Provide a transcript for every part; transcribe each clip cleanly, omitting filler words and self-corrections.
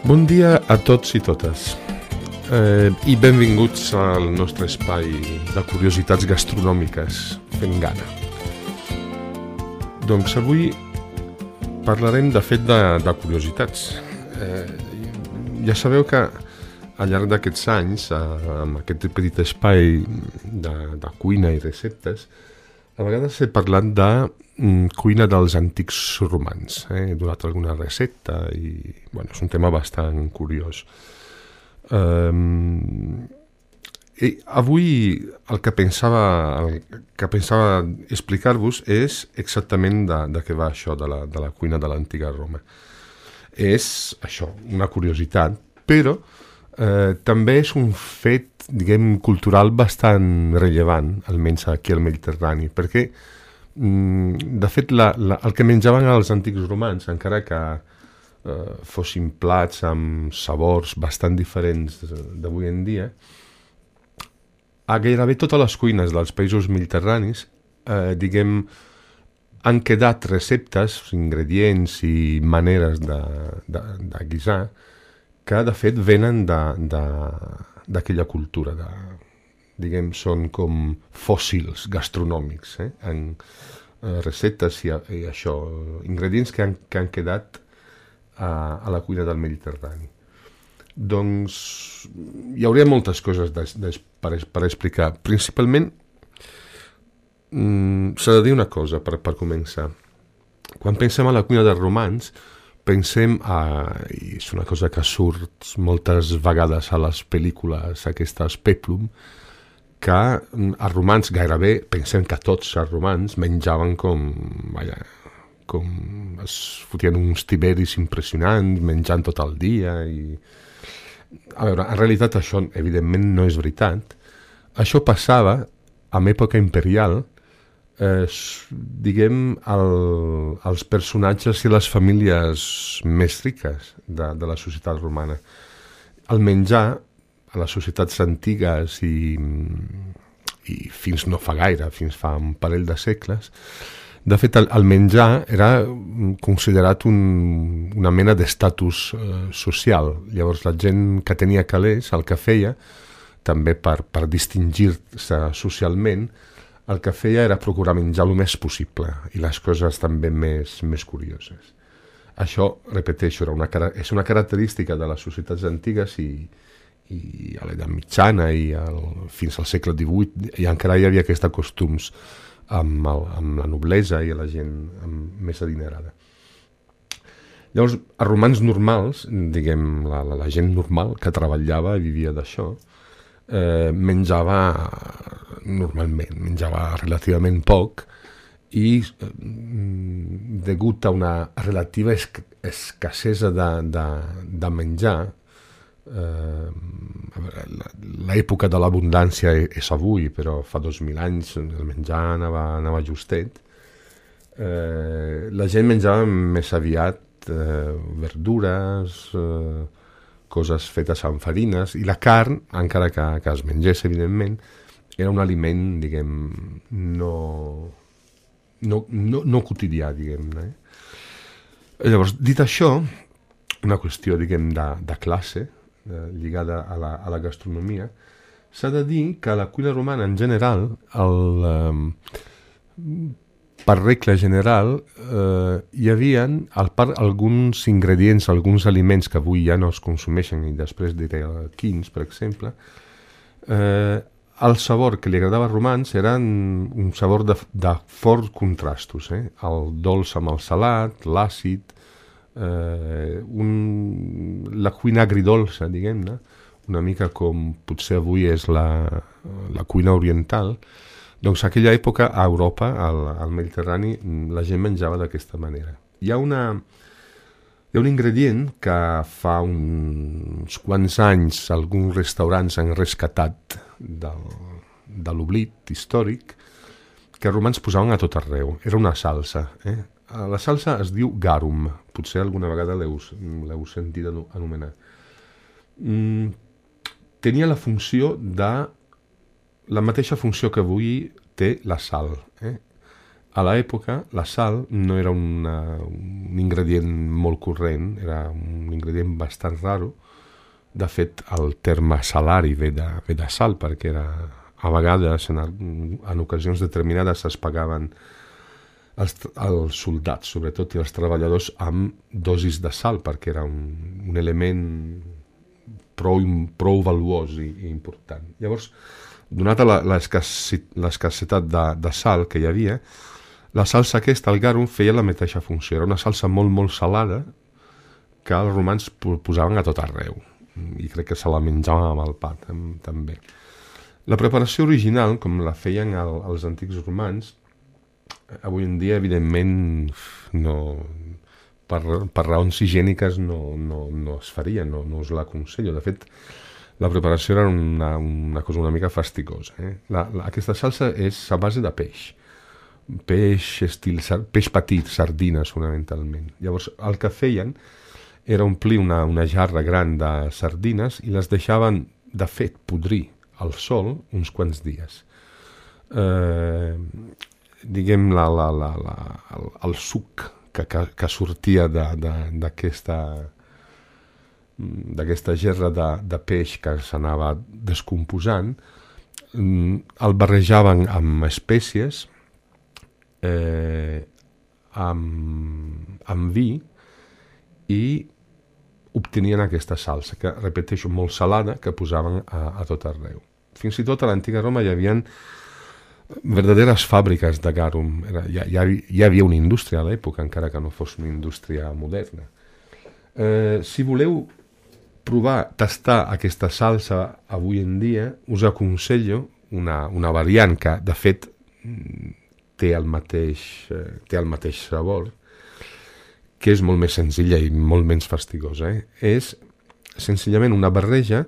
Bon dia a tots i totes i benvinguts al nostre espai de curiositats gastronòmiques fent gana. Doncs avui parlarem de fet de curiositats. Ja sabeu que al llarg d'aquests anys, amb aquest petit espai de cuina i receptes, a vegades he parlat de cuina dels antics romans. He donat alguna recepta i és un tema bastant curiós. I avui el que pensava explicar-vos és exactament de què va això de la cuina de l'antiga Roma. És això, una curiositat, però també és un fet, diguem, cultural bastant rellevant, almenys aquí al Mediterrani, perquè de fet el que menjaven els antics romans, encara que fossin plats amb sabors bastant diferents d'avui en dia, a gairebé totes les cuines dels països mediterranis diguem, han quedat receptes, ingredients i maneres de guisar que de fet venen d'aquella cultura, diguem, són com fòssils gastronòmics, en receptes i això, ingredients que han quedat a la cuina del Mediterrani. Doncs hi hauria moltes coses per explicar. Principalment, s'ha de dir una cosa per començar. Quan pensem a la cuina dels romans, pensem, i és una cosa que surt moltes vegades a les pel·lícules aquestes Peplum, que els romans gairebé, pensem que tots els romans menjaven com es fotien uns tiberis impressionants, menjant tot el dia. A veure, en realitat això evidentment no és veritat. Això passava en època imperial, diguem, els personatges i les famílies més riques de la societat romana. El menjar a les societats antigues i fins no fa gaire, fins fa un parell de segles, de fet el menjar era considerat una mena d'estatus social. Llavors la gent que tenia calés el que feia, també per distingir-se socialment, el que feia era procurar menjar el més possible i les coses també més curioses. Això, repeteixo, és una característica de les societats antigues i a l'edat mitjana i fins al segle XVIII i encara hi havia aquests costums amb la noblesa i la gent més adinerada. Llavors, els romans normals, diguem, la gent normal que treballava i vivia d'això, menjava normalment, menjava relativament poc i degut a una relativa escassesa de menjar, l'època de l'abundància és avui, però fa 2.000 anys el menjar anava justet, la gent menjava més aviat verdures, coses fetes amb farines, i la carn, encara que es mengés, evidentment, era un aliment, diguem, no quotidià, diguem-ne. Llavors, dit això, una qüestió, diguem, de classe, lligada a la gastronomia, s'ha de dir que a la cuina romana, en general, per regla general, hi havia alguns ingredients, alguns aliments que avui ja no es consumeixen, i després diré quins, per exemple. El sabor que li agradava als romans era un sabor de forts contrastos, el dolç amb el salat, l'àcid, la cuina agridolça, diguem-ne, una mica com potser avui és la cuina oriental. Doncs a aquella època a Europa, al Mediterrani, la gent menjava d'aquesta manera. Hi ha un ingredient que fa uns quants anys alguns restaurants han rescatat de l'oblit històric, que els romans posaven a tot arreu. Era una salsa. La salsa es diu garum, potser alguna vegada l'heu sentit anomenar. Tenia la mateixa funció que avui té la sal. a l'època la sal no era un ingredient molt corrent, era un ingredient bastant raro. De fet, el terme salari ve de sal, perquè a vegades, en ocasions determinades, es pagaven els soldats, sobretot, i els treballadors amb dosis de sal, perquè era un element prou valuós i important. Llavors, donada l'escassetat de sal que hi havia, la salsa aquesta, el garum, feia la mateixa funció. Era una salsa molt, molt salada que els romans posaven a tot arreu. I crec que se la menjaven amb el pa, també. La preparació original, com la feien els antics romans, avui en dia, evidentment, per raons higièniques no es faria, no us l'aconsello. De fet, la preparació era una cosa una mica fastigosa. Aquesta salsa és a base de peix petit, sardines fonamentalment. Llavors el que feien era omplir una jarra gran de sardines i les deixaven, de fet, podrir al sol uns quants dies. Diguem, el suc que sortia d'aquesta gerra de peix que s'anava descomposant, el barrejaven amb espècies, amb vi, i obtenien aquesta salsa, que, repeteixo, molt salada, que posaven a tot arreu. Fins i tot a l'antiga Roma hi havia verdaderes fàbriques de garum. Hi havia una indústria a l'època, encara que no fos una indústria moderna. Si voleu tastar aquesta salsa avui en dia, us aconsello una variant que, de fet, té el mateix sabor, que és molt més senzilla i molt menys fastigosa. És senzillament una barreja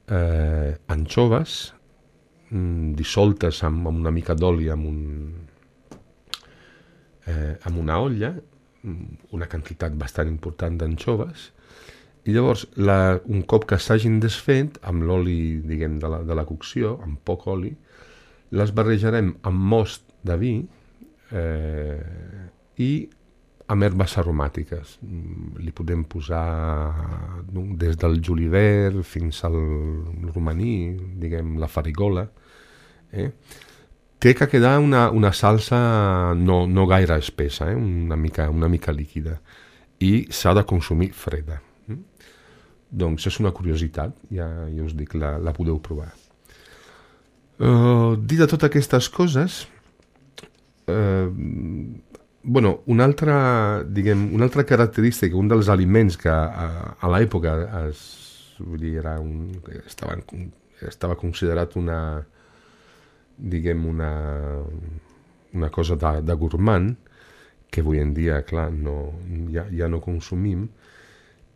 d'anxoves dissoltes amb una mica d'oli amb una olla, una quantitat bastant important d'anxoves, i llavors un cop que s'hagin desfet amb l'oli, diguem, de la cocció, amb poc oli, les barrejarem amb most de vi i amb herbes aromàtiques. Li podem posar des del julivert fins al romaní, diguem, la farigola. Té que quedar una salsa no gaire espessa, una mica líquida, i s'ha de consumir freda. Doncs és una curiositat, ja us dic, la podeu provar. Dit de totes aquestes coses, una altra característica, un dels aliments que a l'època estava considerat una cosa de gourmand, que avui en dia, clar, ja no consumim,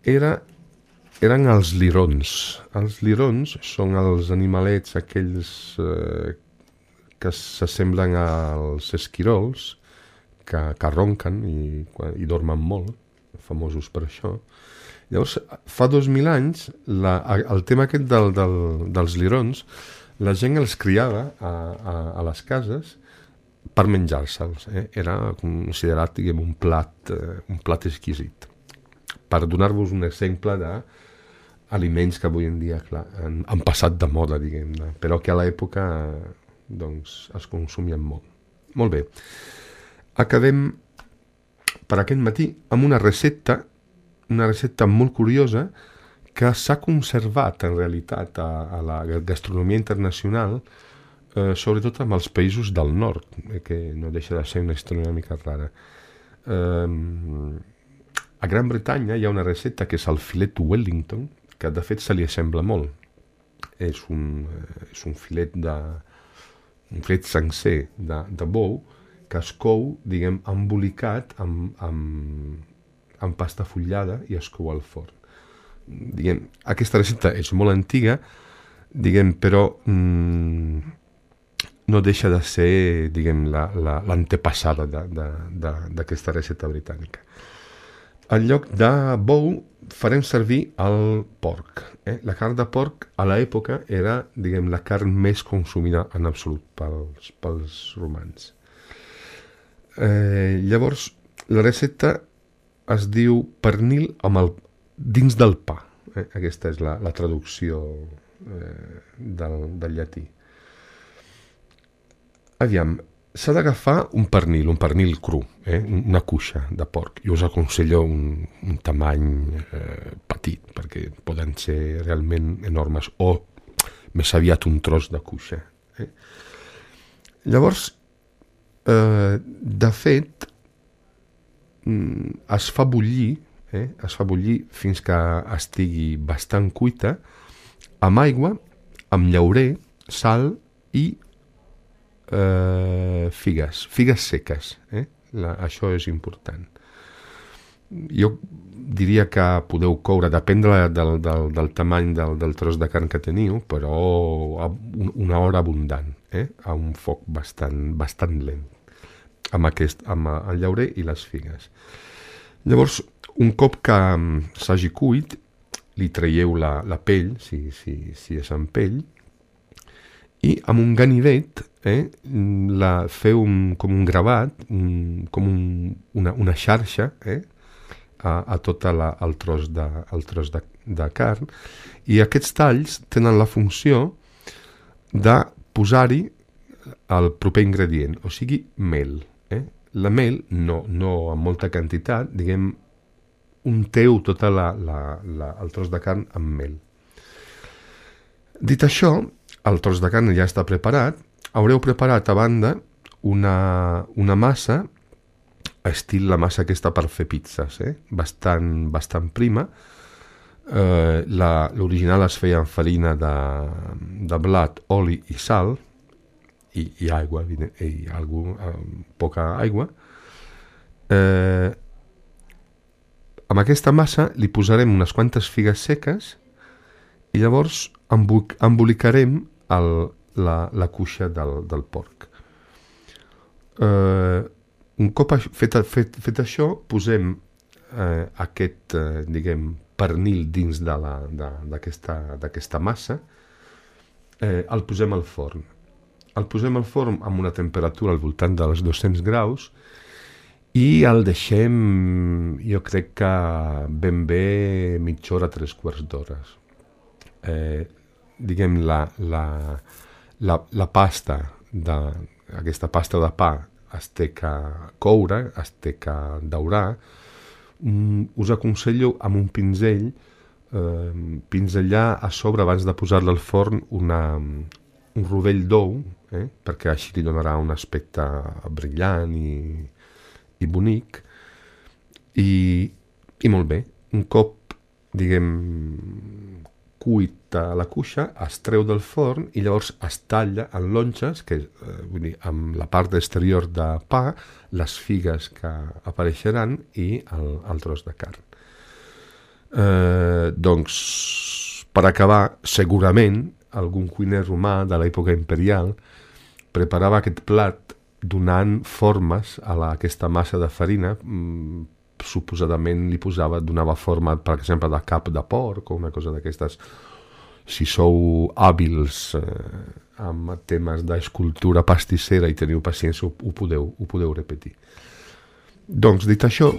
eren els lirons. Els lirons són els animalets aquells que s'assemblen als esquirols, que ronquen i dormen molt, famosos per això. Llavors, fa 2.000 anys, el tema aquest dels lirons, la gent els criava a les cases per menjar-se'ls. Era considerat, diguem, un plat exquisit. Per donar-vos un exemple d'aliments que avui en dia, clar, han passat de moda, diguem-ne, però que a l'època es consumien molt. Molt bé. Acabem per aquest matí amb una recepta molt curiosa que s'ha conservat en realitat a la gastronomia internacional, sobretot amb els països del nord, que no deixa de ser una història una mica rara. A Gran Bretanya hi ha una recepta que és el filet Wellington, que de fet se li assembla molt. És un filet sencer de bou que es cou, diguem, embolicat amb pasta fotllada i es cou al forn. Diguem, aquesta recepta és molt antiga, diguem, però no deixa de ser, diguem, l'antepassada d'aquesta recepta britànica. En lloc de bou farem servir el porc. La carn de porc a l'època era, diguem, la carn més consumida en absolut pels romans. Llavors, la recepta es diu pernil dins del pa. Aquesta és la traducció del llatí. Aviam, s'ha d'agafar un pernil cru, una cuixa de porc. Jo us aconsello un tamany petit, perquè poden ser realment enormes, o més aviat un tros de cuixa. Llavors, de fet, es fa bullir fins que estigui bastant cuita, amb aigua, amb llaurer, sal i figues seques. Això és important. Jo diria que podeu coure, depèn del tamany del tros de carn que teniu, però una hora abundant, a un foc bastant lent, amb el llaurer i les figues. Llavors, un cop que s'hagi cuit, li traieu la pell, si és amb pell, i amb un ganivet feu com un gravat, com una xarxa a tot el tros de carn, i aquests talls tenen la funció de posar-hi el proper ingredient, o sigui, mel. La mel, no amb molta quantitat, diguem, unteu tot el tros de carn amb mel. Dit això, el tros de carn ja està preparat. Haureu preparat a banda una massa, estil la massa aquesta per fer pizzas, bastant prima. L'original es feia amb farina de blat, oli i sal, i aigua, poca aigua. Amb aquesta massa li posarem unes quantes figues seques i llavors embolicarem la cuixa del porc. Un cop fet això, posem aquest, pernil dins d'aquesta massa, el posem al forn. El posem al forn amb una temperatura al voltant dels 200 graus i el deixem, jo crec que ben bé mitja hora, 3/4 d'hores. La pasta, aquesta pasta de pa, es té que coure, es té que daurar. Us aconsello amb un pinzell pinzellar a sobre abans de posar-la al forn un rovell d'ou, perquè així li donarà un aspecte brillant i bonic, i molt bé. Un cop, cuita la cuixa, es treu del forn i llavors es talla en longes, vull dir, amb la part exterior de pa, les figues que apareixeran i el tros de carn. Doncs, per acabar, segurament algun cuiner romà de l'època imperial preparava aquest plat donant formes a aquesta massa de farina. Suposadament donava forma, per exemple, de cap de porc o una cosa d'aquestes. Si sou hàbils amb temes d'escultura pastissera i teniu paciència, ho podeu repetir. Doncs, dit això,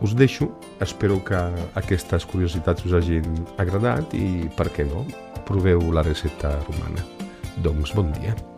us deixo. Espero que aquestes curiositats us hagin agradat i, per què no, proveu la recepta romana. Doncs, bon dia.